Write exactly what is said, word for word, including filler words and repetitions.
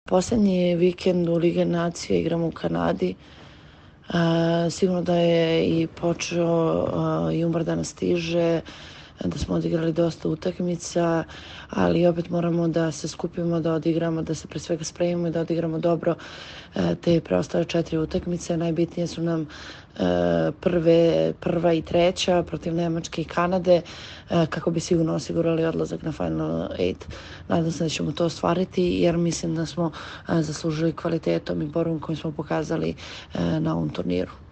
Poslednji vikend u Lige nacije igramo u Kanadi. Uh, sigurno da je i počeo uh, jumbar da nas stiže, da smo odigrali dosta utakmica, ali opet moramo da se skupimo, da odigramo, da se pre svega spremimo i da odigramo dobro uh, te preostale četiri utakmice. Najbitnije su nam uh, prve, prva i treća protiv Nemačke i Kanade, uh, kako bi sigurno osigurali odlazak na Final osam. Nadam se da ćemo to ostvariti, jer mislim da smo uh, zaslužili kvalitetom i borbom koju smo pokazali uh, na ovom turniru.